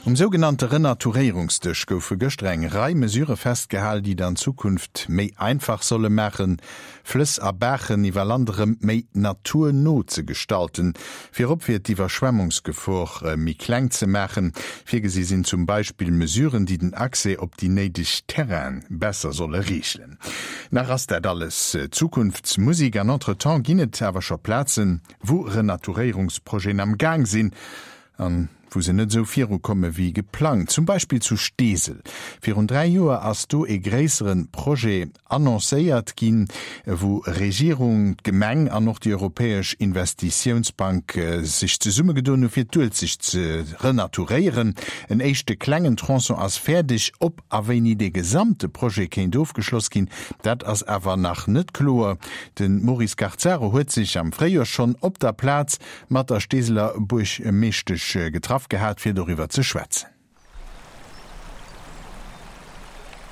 Um sougenannte Renaturéierungsdësch goufe gëschter eng Rei Mesure festgehal, déi et an Zukunft méi einfach solle maachen, Flëss a Baachen iwwer Land erëm méi naturno ze gestalten. Virop fir d'Iwwerschwemmungsgefor méi kleng ze maachen. Virgesi sinn zum Beispill Mesuren, déi den Accès op déi néideg Terraine besser solle reegelen. Nach ass dat alles Zukunftsmusik an entretemps ginn et awer scho Plazen, wou Renaturéierungsprojeten am Gaang sinn an wou se net esou virukomme wéi geplangt, zum Beispill zu Steesel. Virun 3 Joer ass do ee gréissere Projet annoncéiert ginn, wou Regierung, d'Gemeng an och déi Europäesch Investitiounsbank sech zesummegedoen hu fir d'Uelzecht ze renaturéieren. En éischte klengen Tronçon ass fäerdeg. Ob a wéini dee gesamte Projet kéint ofgeschloss ginn, dat ass awer nach net kloer. De Maurice Garzaro huet sech am Fréijoer schonn op der Plaz mat der Steeseler Buergmeeschtesch getraff gehat, fir doriwwer ze schwätzen.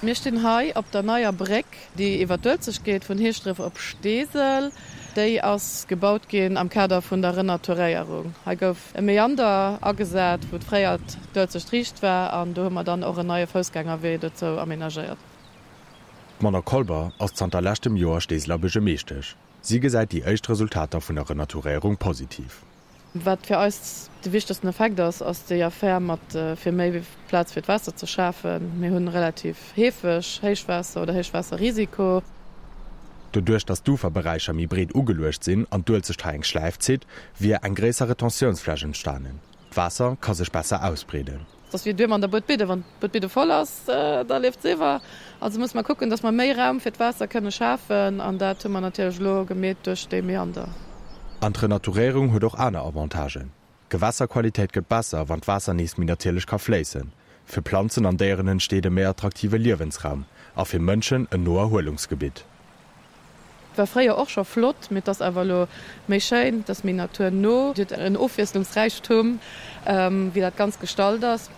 Mir stinn hei op der neier Bréck, déi iwwer d'Uelzecht geet, vun Heeschdref op Steesel. Déi ass gebaut ginn am Kader vun der Renaturéierung. Hei gouf e Meander agesat, wou fréier d'Uelzecht riicht war, an do hu mer dann och en neie Foussgängerwee dozou amenagéiert. D'Manon Kolber ass zanter leschtem Joer Steeseler Buergermeeschtesch. Si gesäit déi éischt Resultater vun der Renaturéierung positiv. Wat fir eis de wichtegsten Effekt ass, ass déi Affär mat fir méi Plaz fir d'Waasser ze schafen. Mir hunn relativ heefeg Héichwaasser oder Héichwaasserrisiko. Doduerch datt d'Uferberäicher méi breet ugeluecht sinn an d'Uelzecht hei eng Schläif zitt, wier eng gréisser Retentiounsfläch entstanen. D'Waasser ka sech besser ausbreeden. Et ass wéi Duerm an der Buedbidde, Wann d'Buedbidde voll ass, da leeft se iwwer. Also musse mer kucken, datt mer méi Raum fir d'Waasser kënne schafen. An dat hu mer natierlech elo gemeet duerch dee Meander. An d'Renaturéierung huet och aner Avantagen. D'Gewässerqualitéit gëtt besser, wann d'Waasser nees méi natierlech ka fléissen. Fir Planzen an Déieren entsteet e méi attraktive Liewensraum a fir Mënschen en Noerhuelungsgebitt. War fréier och scho flott, mee et ass awer elo méi schéin, et ass méi naturno, et huet en Ofwiesslungsräichtum wéi dat Ganzt gestalt ass.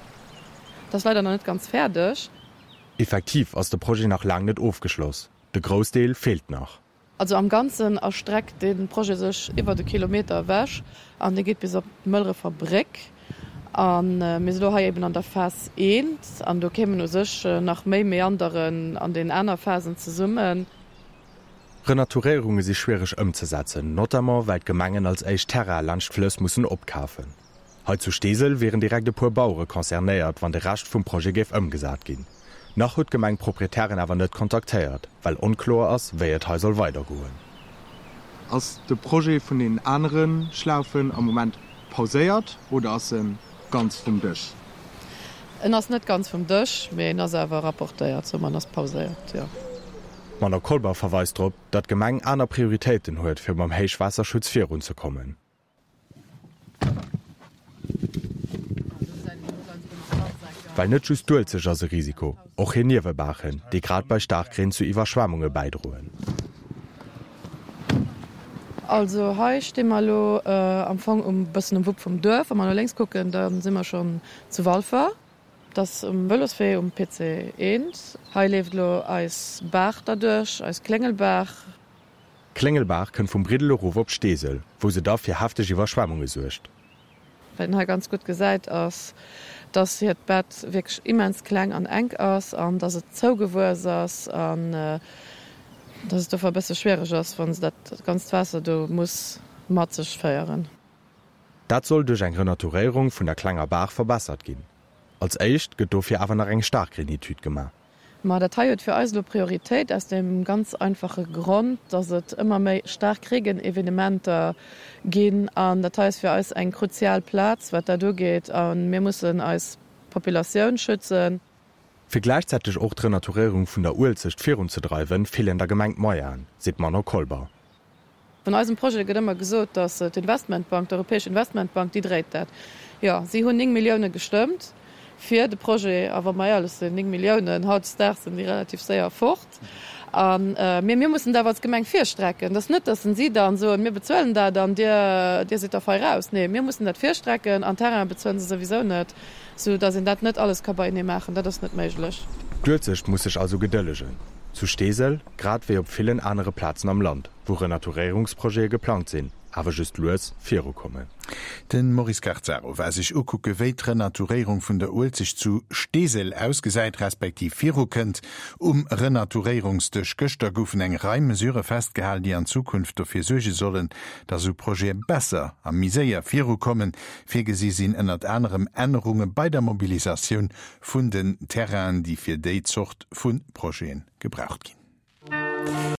Et ass leider nach net ganz fäerdeg. Effektiv ass de Projet nach laang net ofgeschloss, de Groussdeel feelt nach. Also am Ganzen erstreckt dee Projet sech iwwert e Kilometer ewech an dee geet bis op d'Mëllrefer Bréck. A mir si lo hei eben an der Phas I an do kéimen u sech nach méi Meanderen an den aner Phasen zesummen. Renaturéierunge si schwiereg ëmzesetzen, notamment well d'Gemengen als éischt Terraine laanscht d'Flëss mussen opkafen. Hei zu Steesel wieren direkt e puer Bauere concernéiert, wann de Rescht vum Projet géif ëmgesat ginn. Nach huet d'Gemeng d'Proprietären awer net kontaktéiert, well onkloer ass, wéi et hei soll weidergoen. Ass de Projet vun den anere Schlaufen am Moment pauséiert oder ass e ganz vum Dësch? En ass net ganz vum Dësch, mee en ass awer rapportéiert, sou en ass pauséiert, jo. D'Manon Kolber verweist drop, datt d'Gemeng aner Prioritéiten huet, fir mam Héichwaasserschutz virunzekommen. Well net just d'Uelzecht ass e Risiko, och hir Niewebaachen, déi grad bei Staarkreen zu Iwwerschwemmunge bäidroen. Also hei sti mer elo am Fong um bëssen um Wupp vum Duerf. Wa mer no lénks kucken, da si mer schonn zu Walfer. Dat ass um Vëloswee um PC 1. Hei leeft elo eis Baach derduerch, eis Kléngelbaach. D'Kléngelbaach kënnt vum Briddel erof op Steesel, wou se da fir hefteg Iwwerschwemmunge suergt. Wat een hei ganz gutt gesäit ass, dass hiert Bett wierklech immens kleng an enk ass an dass et zougewuess ass an dass et dofir e bësse schwiereg ass, wa se dat ganzt Waasser do muss mat sech féieren. Dat soll duerch eng Renaturéierung vun der klenger Baach verbessert ginn. Als éischt gëtt dofir awer nach eng Staarkreenetüd gemaach. Ma dat hei huet fir eis elo Prioritéit aus deem ganz einfache Grond, dass et ëmmer méi staark Reegenevenementer ginn. An dat hei ass fir eis eng kruzial Plaz, wat dat ugeet. A mir mussen eis Populatioun schützen. Fir gläichzäiteg och d'Renaturéierung vun der Uelzecht virunzedreiwen, feelen der Gemeng d'Moyenen, seet d'Manon Kolber. Vun eisem Projet gëtt ëmmer gesot, datt d'Investmentbank, d'Europäesch Investmentbank, déi dréit dat. Jo, si hunn 9 Millioune gestëmmt fir de Projet. A wa mer éierlech sinn, 9 Milliounen, hautdesdaags sinn déi relativ séier fort. A mir, mir mussen dat awer als Gemeng virstrecken. Et ass net, datt si dann soen, mir bezuelen dat an dir, dir sidd da fei raus. Nee, mir mussen dat virstrecken an Terraine bezuelen se souwisou net, sou datt een dat net alles ka beienee maachen. Dat ass net méiglech. D'Uelzecht muss sech also gedëllegen. Zu Steesel, grad wéi op villen anere Plazen am Land, wou Renaturéierungsprojete geplangt sinn. awer just lues virukommen. De Maurice Carzaro war sech ukucke wéi d'Renaturéierung vun der Uelzecht zu Steesel ausgesäit, respektiv virukënnt. Um Renaturéierungsdësch gëschter goufen eng Rei Mesure festgehal, déi an Zukunft dofir suerge sollen, datt esou Projete besser a méi séier virukommen. Virgesi sinn ënnert anerem Ännerunge bei der Mobilisatioun vun den Terrainen, déi fir déi Zort vu Projete gebraucht ginn.